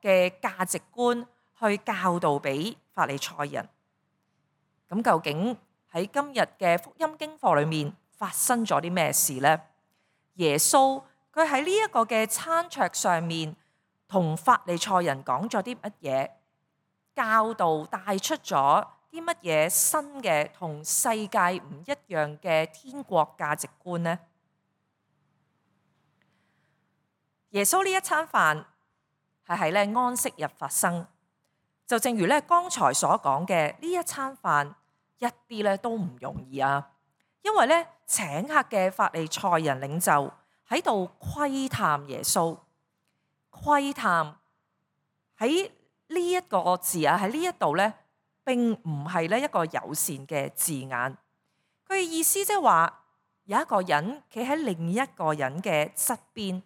嘅價值觀去教導俾法利賽人。咁究竟喺今日嘅福音經課裏面發生咗啲咩事呢？耶穌佢喺呢一個嘅餐桌上面同法利賽人講咗啲乜嘢？教導帶出咗啲乜嘢新嘅同世界唔一樣嘅天國價值觀呢？耶穌呢一餐飯係喺咧安息日發生，就正如咧剛才所講嘅，呢一餐飯一啲咧都唔容易啊！因為咧請客嘅法利賽人領袖喺度窺探耶穌，窺探喺呢一個字啊，喺呢一度咧並唔係咧一個友善嘅字眼，佢嘅意思即係話有一個人企喺另一個人嘅側邊，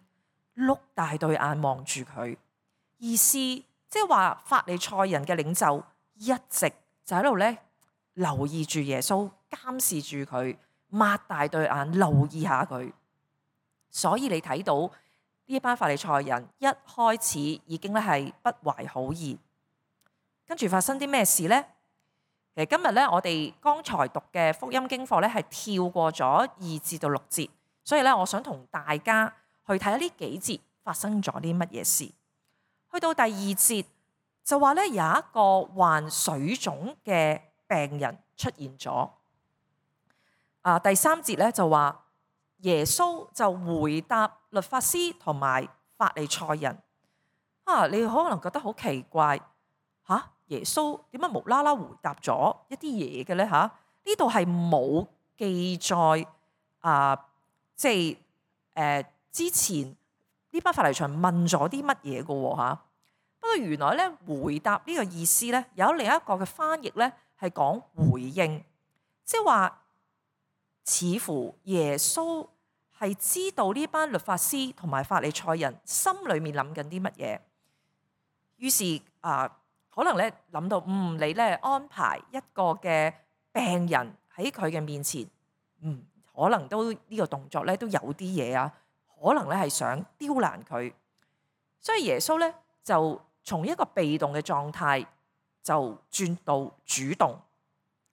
碌大對眼望住佢，意思即係話法利賽人嘅領袖一直就喺度咧留意住耶穌，監視住佢，擘大對眼留意下佢。所以你睇到呢一班法利賽人一開始已經咧係不懷好意，跟住發生啲咩事呢？其實今日咧我哋剛才讀嘅福音經課咧係跳過咗2至到6節，所以咧我想同大家去睇下呢幾節發生咗啲乜嘢事。去到第2節就話咧有一個患水腫嘅病人出現咗。第3節咧就話耶穌就回答律法師同埋法利賽人。你可能覺得好奇怪，耶穌點解無啦啦回答咗一啲嘢嘅咧？呢度係冇記載之前呢班法利賽人問咗啲乜嘢嘅喎。不過原來咧回答呢個意思咧有另一個嘅翻譯咧係講回應，即係話似乎耶穌係知道呢班律法師同埋法利賽人心裏面諗緊啲乜嘢，於是可能咧諗到你咧安排一個嘅病人喺佢嘅面前，可能都呢個動作咧都有啲嘢啊，可能咧係想刁難佢，所以耶穌咧就從一個被動嘅狀態就轉到主動，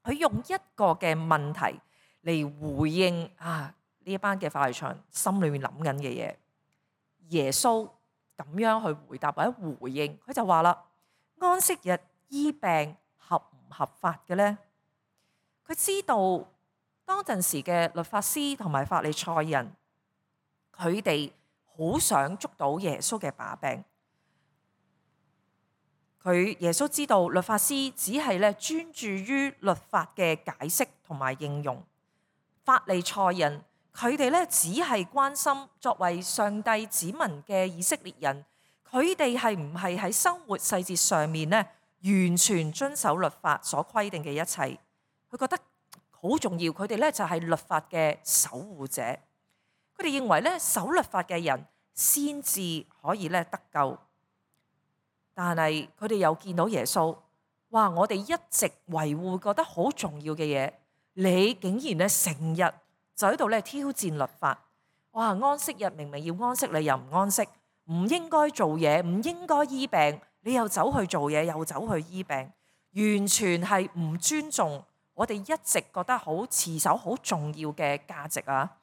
佢用一個嘅問題嚟回應呢一班嘅法利賽人心裏面諗緊嘅嘢。耶穌咁樣去回答或者回應，佢就話啦：安息日醫病合唔合法嘅呢？佢知道當陣時嘅律法師同埋法利賽人，佢哋好想捉到耶穌嘅把柄。耶穌知道律法師只係咧專注於律法嘅解釋同埋應用，法利賽人佢哋咧只係關心作為上帝子民嘅以色列人，佢哋係唔係喺生活細節上面咧完全遵守律法所規定嘅一切。佢覺得好重要，佢哋咧就係律法嘅守護者。佢哋認為咧守律法嘅人先至可以咧得救。但係佢哋又見到耶穌，我哋一直維護覺得好重要嘅嘢，你竟然咧成日就喺度咧挑戰律法。安息日明明要安息，你又唔安息，唔應該做嘢，唔應該醫病，你又走去做嘢，又走去醫病，完全係唔尊重我哋一直覺得好持守好重要嘅價值啊！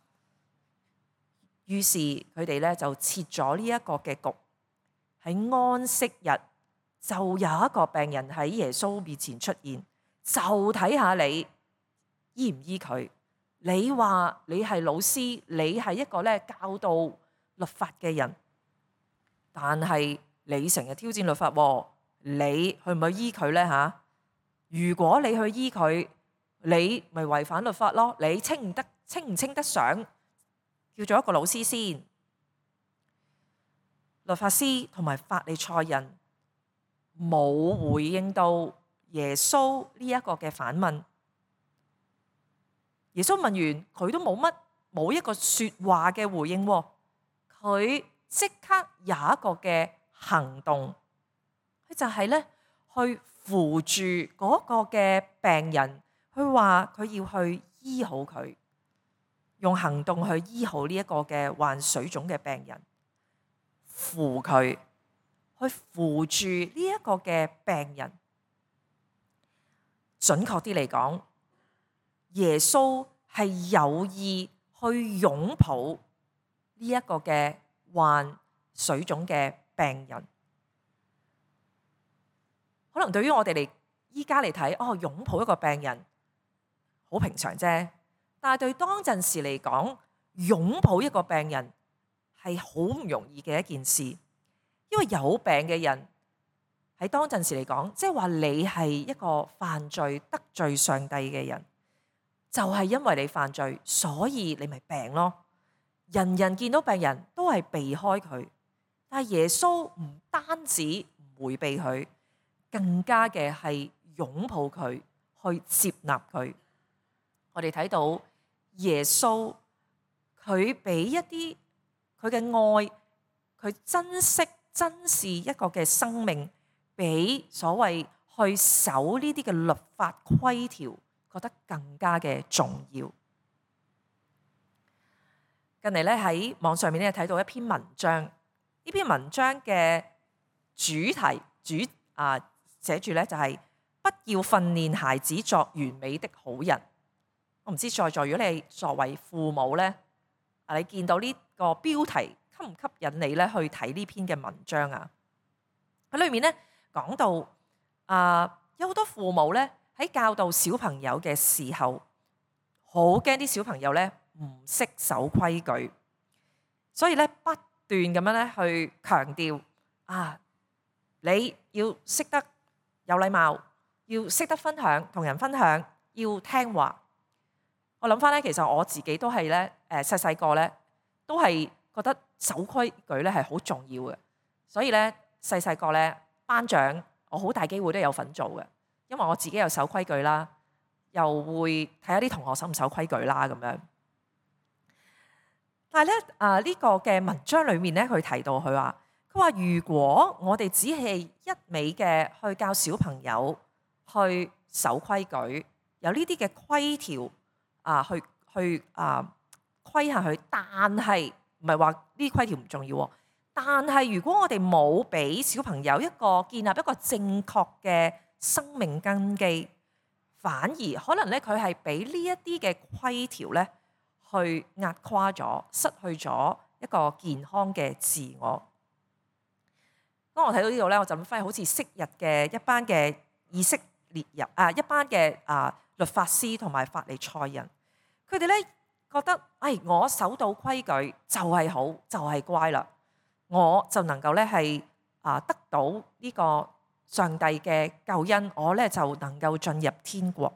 於是佢哋咧就設咗呢一個嘅局。喺安息日就有一個病人喺耶穌面前出現，就睇下你醫唔醫佢。你話你係老師，你係一個咧教導律法嘅人，但係你成日挑戰律法，你去唔去醫佢呢？如果你去醫佢，你咪違反律法咯。你稱唔稱得上叫做一個老師先？律法師同埋法利賽人冇回應到耶穌呢一個嘅反問。耶穌問完佢都冇一個說話嘅回應，佢即刻有一個嘅行動，佢就係咧去扶住嗰個嘅病人，佢話佢要去醫好佢，用行動去醫好呢一個嘅患水腫嘅病人。扶佢，去扶住呢一個嘅病人。準確啲嚟講，耶穌係有意去擁抱呢一個嘅患水腫嘅病人。可能對於我哋嚟依家嚟睇，擁抱一個病人好平常啫。但係對當陣時嚟講，擁抱一個病人係好唔容易嘅一件事，因為有病嘅人喺當陣時嚟講，即係話你係一個犯罪得罪上帝嘅人，就係因為你犯罪，所以你咪病咯。人人見到病人都係避開佢，但係耶穌唔單止唔迴避佢，更加嘅係擁抱佢，去接納佢。我哋睇到耶穌佢俾一啲佢嘅愛，佢珍惜珍視一個嘅生命，比所謂去守呢啲嘅律法規條覺得更加嘅重要。近嚟咧喺網上面咧睇到一篇文章，呢篇文章嘅主題寫住咧就係不要訓練孩子作完美的好人。我唔知在座如果你作為父母咧，你見到呢個標題吸唔吸引你咧去睇呢篇嘅文章啊？喺裏面咧講到有好多父母咧喺教導小朋友嘅時候，好驚啲小朋友咧唔識守規矩，所以咧不斷咁樣咧去強調你要識得有禮貌，要識得分享，同人分享，要聽話。我諗翻咧，其實我自己都係咧細細個咧都係覺得守規矩咧係好重要嘅，所以咧細細個咧班長我好大機會都有份做嘅，因為我自己又守規矩啦，又會睇下啲同學守唔守規矩啦咁樣。但係咧呢個嘅文章裏面咧，佢提到佢話如果我哋只係一味嘅去教小朋友去守規矩，有呢啲嘅規條去規下佢，但係唔係話呢啲規條唔重要，但係如果我哋冇俾小朋友建立一個正確嘅生命根基，反而可能咧佢係俾呢一啲嘅規條咧去壓垮咗，失去咗一個健康嘅自我。當我睇到呢度咧，我就諗翻好似昔日嘅一班嘅以色列人一班嘅律法師同埋法利賽人，佢哋咧覺得我守到規矩就係好，就係乖啦，我就能夠咧係得到呢個上帝嘅救恩，我咧就能夠進入天國。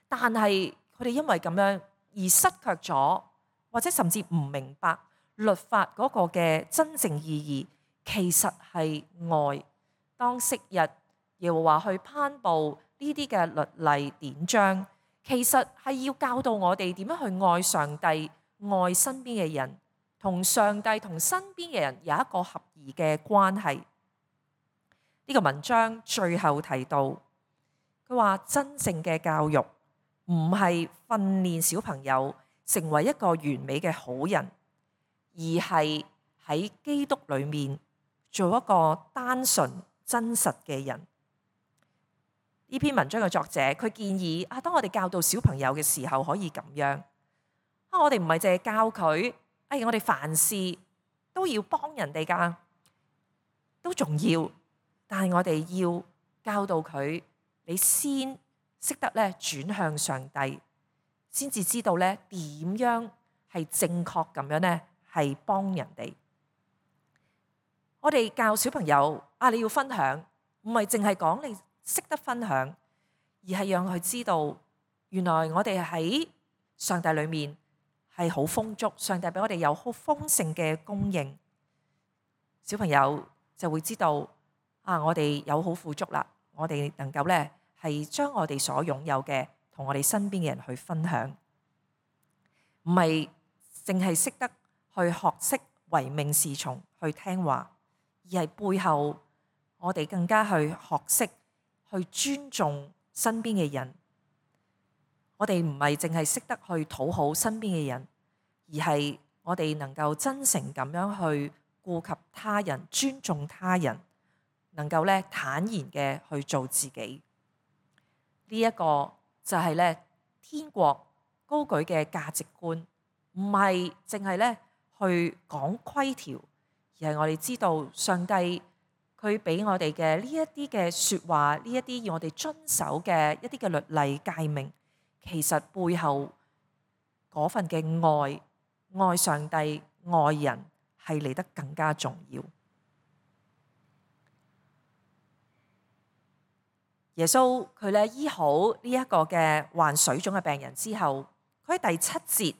但係佢哋因為咁樣而失卻咗，或者甚至唔明白律法嗰個嘅真正意義。其實係愛。當昔日耶和華去頒布呢啲嘅律例典章，其實係要教導我哋點樣去愛上帝、愛身邊嘅人，同上帝同身邊嘅人有一個合宜嘅關係。呢個文章最後提到，佢話真正嘅教育唔係訓練小朋友成為一個完美嘅好人，而係喺基督裏面做一個單純真實嘅人。呢篇文章嘅作者佢建議當我哋教導小朋友嘅時候可以咁樣我哋唔係淨係教佢我哋凡事都要幫人哋㗎，都重要，但係我哋要教導佢，你先識得咧轉向上帝，先至知道咧點樣係正確咁樣咧係幫人哋。我哋教小朋友你要分享，唔係淨係講你識得分享，而係讓佢知道原來我哋喺上帝裏面係好豐足，上帝俾我哋有好豐盛嘅供應。小朋友就會知道我哋有好富足啦，我哋能夠咧係將我哋所擁有嘅同我哋身邊嘅人去分享，唔係淨係識得去學識唯命是從去聽話，而係背後我哋更加去學識去尊重身邊嘅人。我哋唔係淨係識得去討好身邊嘅人，而係我哋能夠真誠咁樣去顧及他人，尊重他人，能夠咧坦然嘅去做自己。呢一個就係咧天國高舉嘅價值觀，唔係淨係咧去講規條，而係我哋知道上帝佢俾我哋嘅呢一啲嘅説話，呢一啲要我哋遵守嘅一啲嘅律例誡命，其實背後嗰份嘅愛上帝、愛人係嚟得更加重要。耶穌佢咧醫好呢一個嘅患水腫嘅病人之後，佢喺第7節，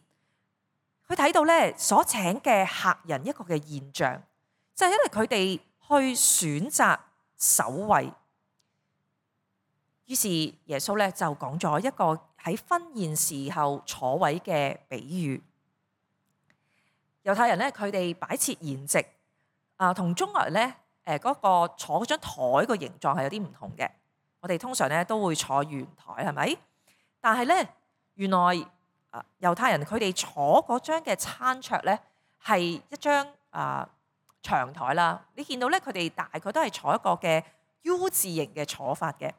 佢睇到咧所請嘅客人一個嘅現象，就係因為佢哋去選擇首位，於是耶穌咧就講咗一個喺婚宴時候坐位嘅比喻。猶太人咧佢哋擺設筵席同中國人咧嗰個坐嗰張台個形狀係有啲唔同嘅。我哋通常咧都會坐圓台，係咪？但係咧，原來猶太人佢哋坐嗰張嘅餐桌咧係一張長台啦。你見到咧，佢哋大概都係坐一個嘅 U 字形嘅坐法嘅。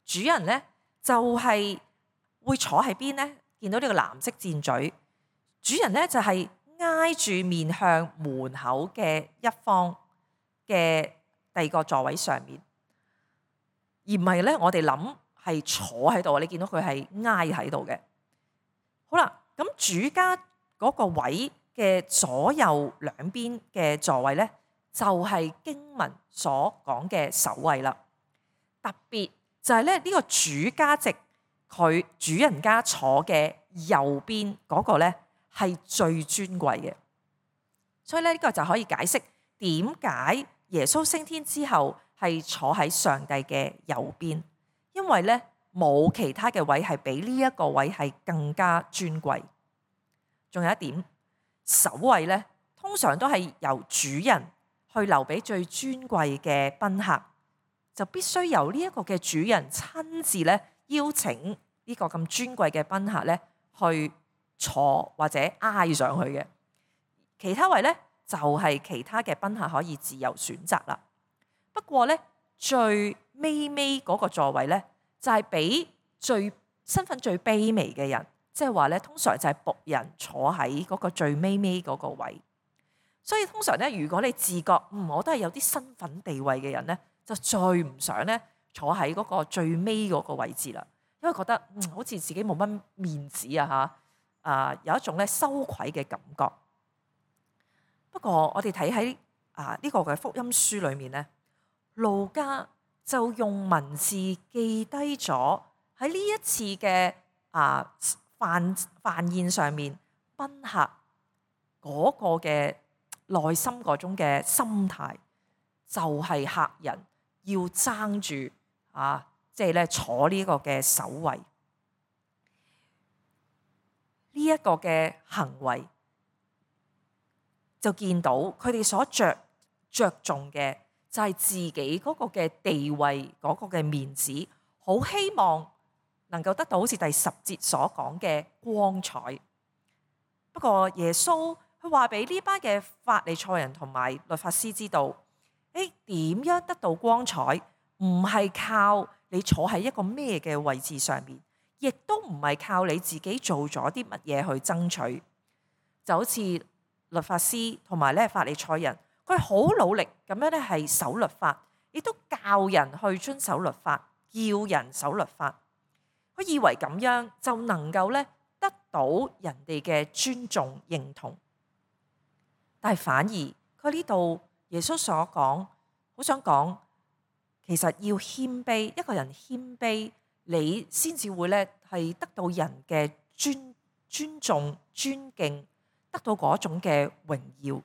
主人咧就係會坐喺邊咧？見到呢個藍色箭嘴，主人咧就係挨住面向門口嘅一方嘅第二個座位上面。而唔係咧，我哋諗係坐喺度，你見到佢係挨喺度嘅。好啦，咁主家嗰個位嘅左右兩邊嘅座位咧，就係經文所講嘅首位啦。特別就係咧呢個主家席，佢主人家坐嘅右邊嗰個咧係最尊貴嘅。所以咧呢個就可以解釋點解耶穌升天之後係坐喺上帝嘅右邊，因為咧冇其他嘅位係比呢一個位係更加尊貴。仲有一點，首位咧通常都係由主人去留俾最尊貴嘅賓客，就必須由呢一個嘅主人親自咧邀請呢個咁尊貴嘅賓客咧去坐或者挨上去嘅。其他位咧就係其他嘅賓客可以自由選擇啦。不過咧，最尾嗰個座位咧，就係俾身份最卑微嘅人，即係話咧，通常就係僕人坐喺嗰個最尾嗰個位。所以通常咧，如果你自覺我都係有啲身份地位嘅人咧，就最唔想咧坐喺嗰個最尾嗰個位置啦，因為覺得好似自己冇乜面子有一種咧羞愧嘅感覺。不過我哋睇喺呢個嘅福音書裏面咧，路加就用文字記低咗喺呢一次嘅飯宴上面賓客嗰個嘅內心嗰種嘅心態，就係客人要爭住即係咧坐呢個嘅首位。呢一個嘅行為就見到佢哋所着重嘅就係自己嗰個嘅地位，嗰個嘅面子，好希望能夠得到好似第10節所講嘅光彩。不過耶穌佢話俾呢班嘅法利賽人同埋律法師知道，點樣得到光彩？唔係靠你坐喺一個咩嘅位置上面，亦都唔係靠你自己做咗啲乜嘢去爭取。就好似律法師同埋咧法利賽人，佢好努力咁樣咧係守律法，亦都教人去遵守律法，叫人守律法。佢以為咁樣就能夠咧得到人哋嘅尊重認同，但係反而佢呢度耶穌所講，好想講，其實要謙卑，一個人謙卑，你先至會咧係得到人嘅尊重、尊敬，得到嗰種嘅榮耀。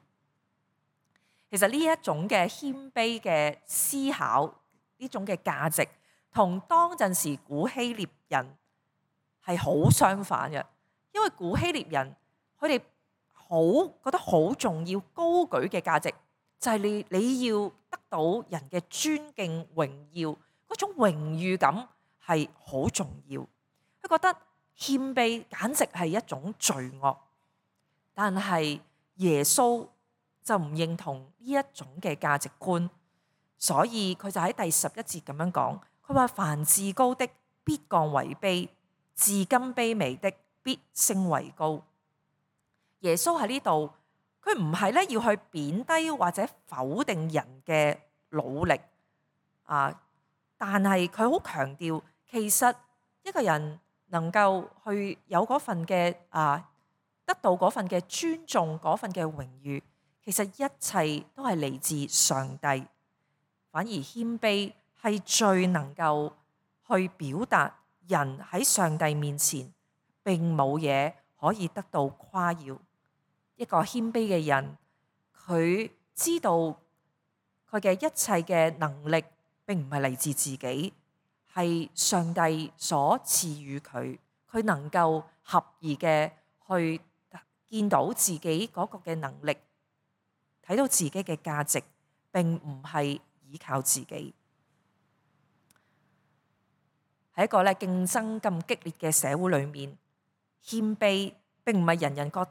其實呢一種嘅謙卑嘅思考，呢種嘅價值，同當陣時古希臘人係好相反嘅。因為古希臘人佢哋覺得好重要、高舉嘅價值，就係你要得到人嘅尊敬、榮耀，嗰種榮譽感係好重要。佢覺得謙卑簡直係一種罪惡，但係耶穌就唔認同呢一種嘅價值觀，所以佢就喺第11節咁樣講，佢話凡自高的必降為卑，自甘卑微的必升為高。耶穌喺呢度，佢唔係咧要去貶低或者否定人嘅努力啊，但係佢好強調，其實一個人能夠去有嗰份嘅得到嗰份嘅尊重，嗰份嘅榮譽，其實一切都係嚟自上帝。反而謙卑係最能夠去表達人喺上帝面前並冇嘢可以得到誇耀。一個謙卑嘅人，佢知道佢嘅一切嘅能力並唔係嚟自自己，係上帝所賜予佢，佢能夠合宜嘅去見到自己嗰個嘅能力，睇到自己嘅價值，並唔係依靠自己。喺一個咧競爭咁激烈嘅社會裏面，謙卑並唔係人人覺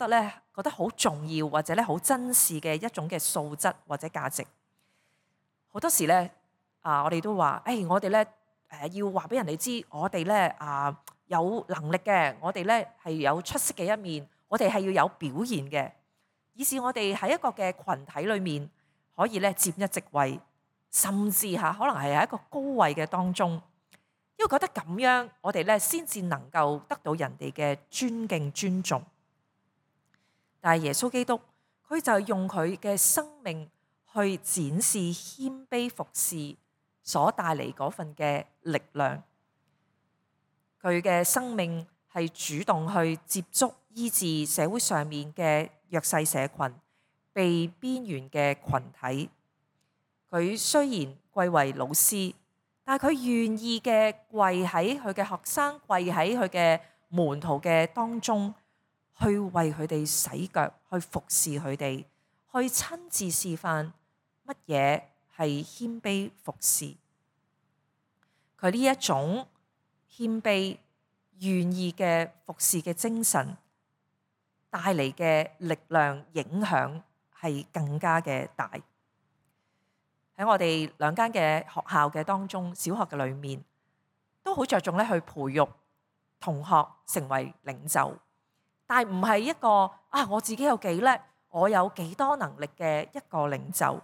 得好重要或者咧好珍視嘅一種嘅素質或者價值。好多時咧我哋都話，我哋咧要話俾人哋知，我哋咧有能力嘅，我哋咧係有出色嘅一面，我哋係要有表現嘅，以致我哋喺一個嘅群體裏面可以咧佔一席位，甚至可能係喺一個高位嘅當中，因為覺得咁樣我哋咧先至能夠得到人哋嘅尊敬尊重。但係耶穌基督佢就用佢嘅生命去展示謙卑服侍所帶嚟嗰份嘅力量。佢嘅生命係主動去接觸醫治社會上面嘅弱勢社群、被邊緣嘅群體。佢雖然貴為老師，但係佢願意嘅跪喺佢嘅學生、跪喺佢嘅門徒嘅當中，去為佢哋洗腳，去服侍佢哋，去親自示範乜嘢係謙卑服侍。佢呢一種謙卑願意嘅服侍嘅精神帶嚟嘅力量影響係更加嘅大。喺我哋兩間嘅學校嘅當中，小學嘅裏面都好着重咧去培育同學成為領袖，但係唔係一個我自己有幾叻，我有幾多能力嘅一個領袖，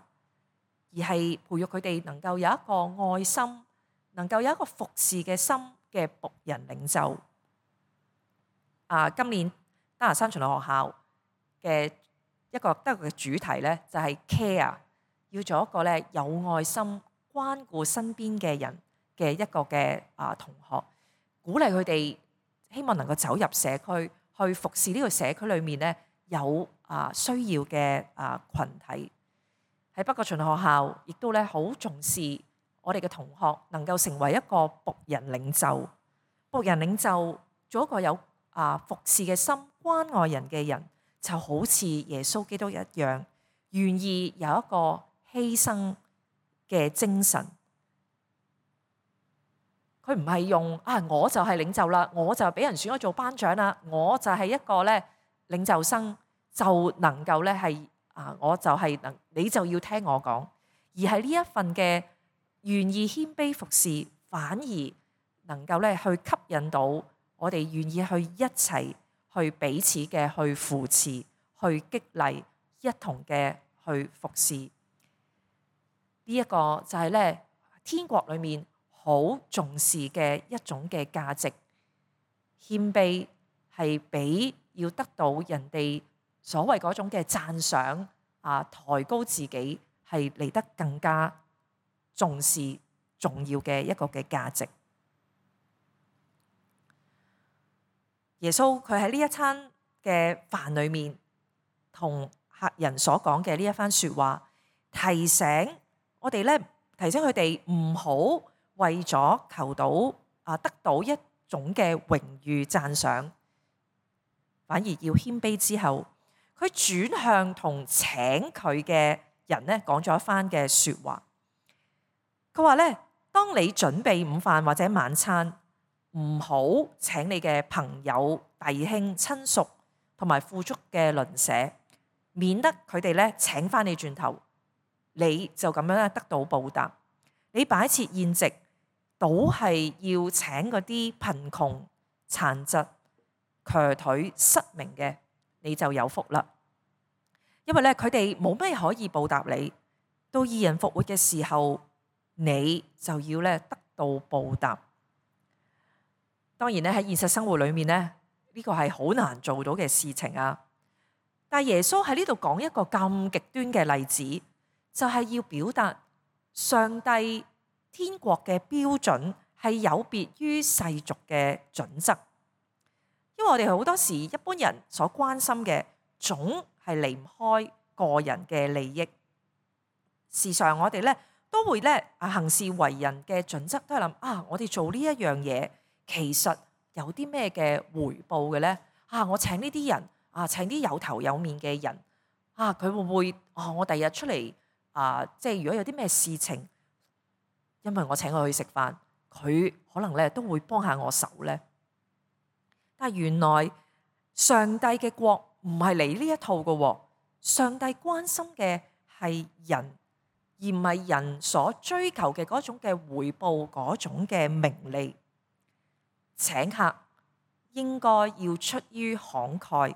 而係培育佢哋能夠有一個愛心，能夠有一個服侍嘅心嘅僕人領袖。今年丹拿山循道學校嘅一個嘅主題咧，就係 care， 要做一個咧有愛心、關顧身邊嘅人嘅一個嘅同學，鼓勵佢哋希望能夠走入社區，去服侍呢個社區裏面咧有需要嘅羣體。喺北角循道學校亦都咧好重視我哋嘅同學能夠成為一個僕人領袖。僕人領袖做一個有服侍嘅心、關愛人嘅人，就好似耶穌基督一樣，願意有一個犧牲嘅精神。佢唔係用我就係領袖啦，我就俾人選咗做班長啦，我就係一個咧領袖生，就能夠咧係我就係你就要聽我講，而係呢一份嘅願意謙卑服侍，反而能夠咧去吸引到我哋願意去一齊去彼此嘅去扶持、去激勵，一同嘅去服侍。呢一個就係咧天國裏面好重視嘅一種嘅價值。謙卑係比要得到人哋所謂嗰種嘅讚賞抬高自己係嚟得更加重視重要嘅一個嘅價值。耶穌佢喺呢一餐嘅飯裏面同客人所講嘅呢一番說話，提醒我哋咧，提醒佢哋唔好為咗求到得到一種嘅榮譽讚賞，反而要謙卑之後，佢轉向同請佢嘅人咧講咗一番嘅說話。佢話咧，當你準備午飯或者晚餐，唔好請你嘅朋友、弟兄、親屬同埋富足嘅鄰舍，免得佢哋咧請翻你轉頭，你就咁樣得到報答。你擺設宴席，倒係要請嗰啲貧窮、殘疾、瘸腿、失明嘅，你就有福啦。因為咧，佢哋冇咩可以報答你，到義人復活嘅時候，你就要咧得到報答。當然咧，喺現實生活裏面咧，呢個係好難做到嘅事情啊。但係耶穌喺呢度講一個咁極端嘅例子，就係要表達上帝天國嘅標準係有別於世俗嘅準則。因為我哋好多時一般人所關心嘅，總係離唔開個人嘅利益。時常我哋咧都會咧行事為人嘅準則都係諗我哋做呢一樣嘢，其實有啲咩嘅回報嘅咧？我請呢啲人請啲有頭有面嘅人佢會唔會我第日出嚟即係如果有啲咩事情，因為我請佢去食飯，佢可能咧都會幫下我手咧。但係原來上帝嘅國唔係嚟呢一套嘅喎，上帝關心嘅係人，而唔係人所追求嘅嗰種嘅回報，嗰種嘅名利。請客應該要出於慷慨，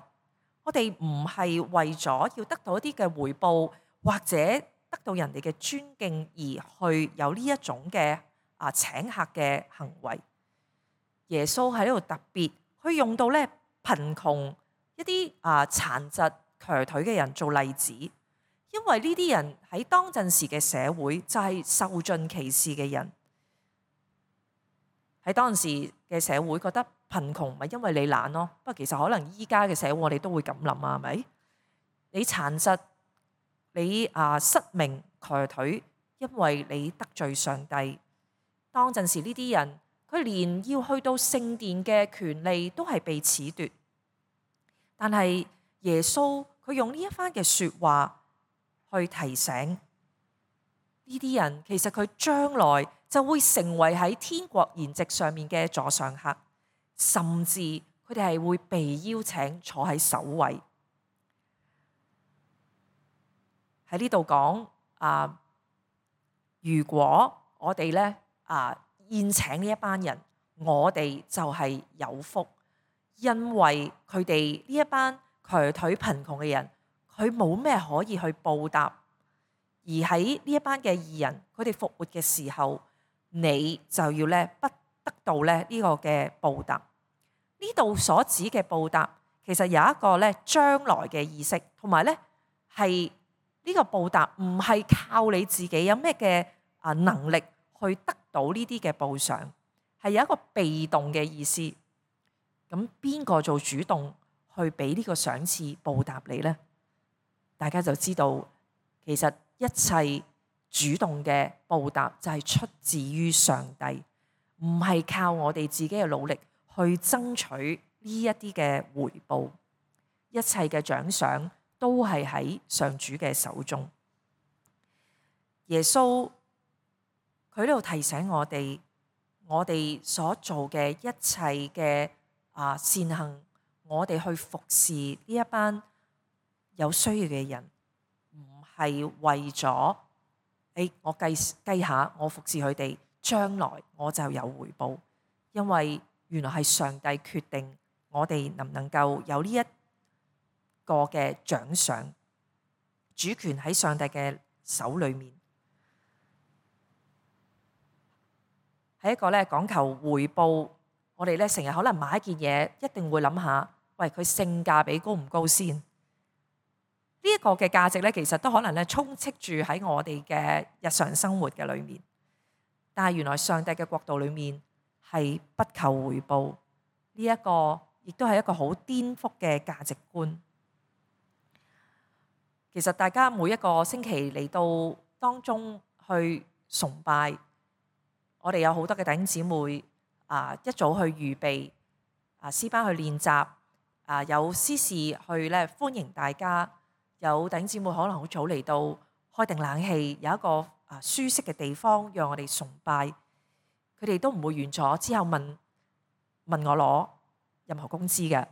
我哋唔係為咗要得到一啲嘅回報，或者得到人哋嘅尊敬而去有呢一種嘅請客嘅行為。耶穌喺呢度特別去用到咧貧窮一啲殘疾瘸腿嘅人做例子，因為呢啲人喺當陣時嘅社會就係受盡歧視嘅人。喺當時嘅社會覺得貧窮唔係因為你懶咯，不過其實可能依家嘅社會我哋都會咁諗係咪？你殘疾，你失明瘸腿，因為你得罪上帝。當陣時呢啲人，佢連要去到聖殿嘅權利都係被褫奪。但係耶穌佢用呢一番嘅說話去提醒呢啲人，其實佢將來就會成為喺天國筵席上面嘅座上客，甚至佢哋係會被邀請坐喺首位。喺呢度講如果我哋咧宴請呢一班人，我哋就係有福，因為佢哋呢一班瘸腿貧窮嘅人，佢冇咩可以去報答。而喺呢一班嘅義人，佢哋復活嘅時候，你就要咧不得到咧呢個嘅報答。呢度所指嘅報答，其實有一個咧將來嘅意識，同埋咧係呢個報答唔係靠你自己有咩嘅能力去得到呢啲嘅報償，係有一個被動嘅意思。咁邊個做主動去俾呢個賞賜報答你呢？大家就知道，其實一切主動嘅報答就係出自於上帝，唔係靠我哋自己嘅努力去爭取呢一啲嘅回報。一切嘅獎賞都係喺上主嘅手中。耶穌佢呢度提醒我哋所做嘅一切嘅善行，我哋去服侍呢一班有需要嘅人，唔係為咗我計下我服侍佢哋，將來我就有回報。因為原來係上帝決定我哋能唔能夠有呢一個嘅獎賞，主權喺上帝嘅手裏面。係一個咧講求回報，我哋咧成日可能買一件嘢，一定會諗下，喂，佢性價比高唔高先？呢一個嘅價值咧，其實都可能咧充斥住喺我哋嘅日常生活嘅裏面。但係原來上帝嘅國度裏面係不求回報，呢一個亦都係一個好顛覆嘅價值觀。其實大家每一個星期嚟到當中去崇拜，我哋有好多嘅弟兄姊妹一早去預備詩班去練習，有司事去咧歡迎大家，有弟兄姊妹可能好早嚟到開定冷氣，有一個舒適嘅地方讓我哋崇拜。佢哋都唔會完咗之後問我攞任何工資嘅，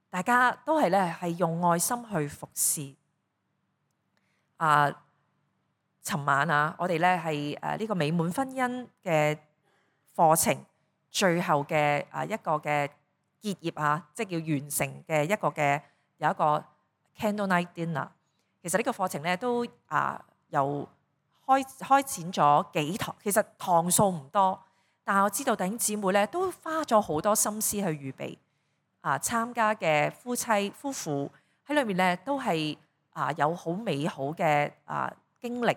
大家都係咧係用愛心去服侍。尋晚啊，我哋咧係呢個美滿婚姻嘅課程最後嘅一個嘅結業啊，即係叫完成嘅一個嘅有一個 candle night dinner。其實呢個課程咧都由開展咗幾堂，其實堂數唔多，但係我知道弟兄姊妹咧都花咗好多心思去預備。參加嘅夫婦喺裏面咧都係有好美好嘅經歷，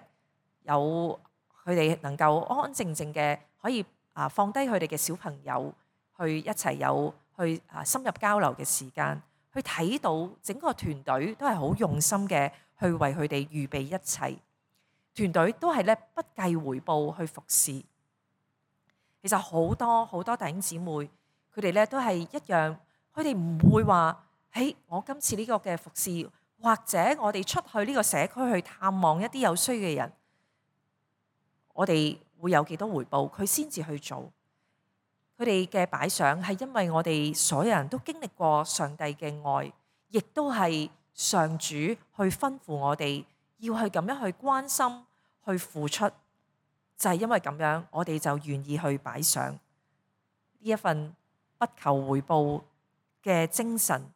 有佢哋能夠安安靜靜嘅可以放低佢哋嘅小朋友，去一齊有去深入交流嘅時間，去睇到整個團隊都係好用心嘅去為佢哋預備一切，團隊都係咧不計回報去服侍。其實好多弟兄姊妹佢哋咧都係一樣。佢哋唔會話，我今次呢個嘅服侍，或者我哋出去呢個社區去探望一啲有需嘅人，我哋會有幾多回報，佢先至去做。佢哋嘅擺上係因為我哋所有人都經歷過上帝嘅愛，亦都係上主去吩咐我哋要去咁樣去關心、去付出，就係因為咁樣，我哋就願意去擺上呢一份不求回報嘅精神，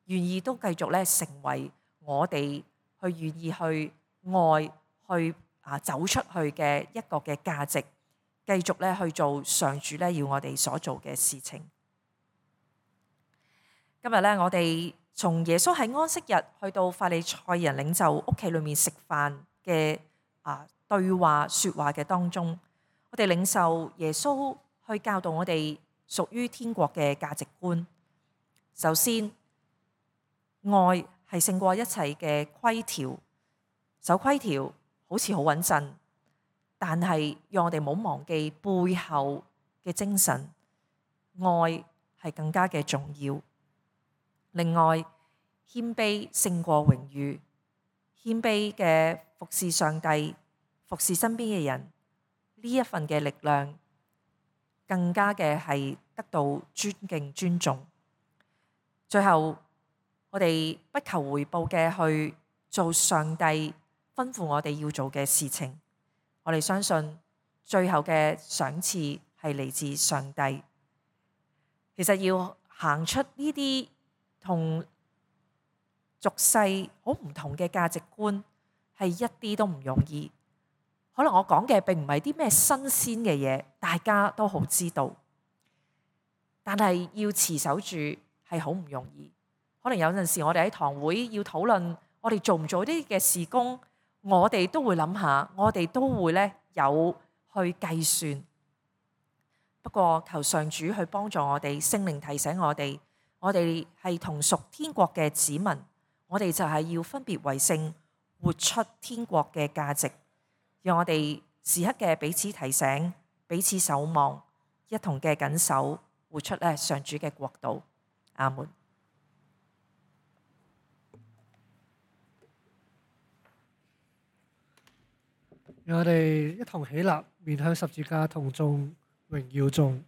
願意都繼續咧成為我哋去願意去愛去走出去嘅一個嘅價值，繼續咧去做上主咧要我哋所做嘅事情。今日咧，我哋從耶穌喺安息日去到法利賽人領袖屋企裏面食飯嘅對話說話嘅當中，我哋領受耶穌去教導我哋屬於天國嘅價值觀。首先，愛係勝過一切嘅規條，守規條好似好穩陣，但係讓我哋唔好忘記背後嘅精神，愛係更加嘅重要。另外，謙卑勝過榮譽，謙卑嘅服侍上帝、服侍身邊嘅人，呢一份嘅力量更加嘅係得到尊敬尊重。最後，我哋不求回報嘅去做上帝吩咐我哋要做嘅事情。我哋相信最後嘅賞賜係嚟自上帝。其實要行出呢啲同俗世好唔同嘅價值觀，係一啲都唔容易。可能我講嘅並唔係啲咩新鮮嘅嘢，大家都好知道，但係要持守住係好唔容易。可能有陣時我哋喺堂會要討論我哋做唔做啲嘅事工，我哋都會諗下，我哋都會咧有去計算。不過求上主去幫助我哋，聖靈提醒我哋係同屬天國嘅子民，我哋就係要分別為聖，活出天國嘅價值。讓我哋時刻嘅彼此提醒，彼此守望，一同嘅緊守，活出咧上主嘅國度。阿門。讓我哋一同起立，面向十字架，同眾榮耀眾。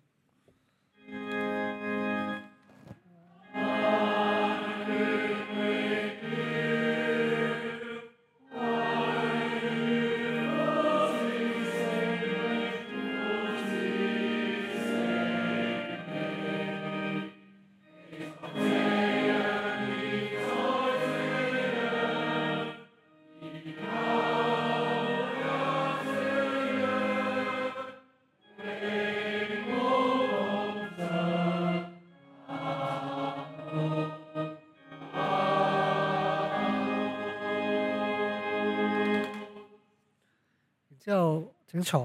之後請坐。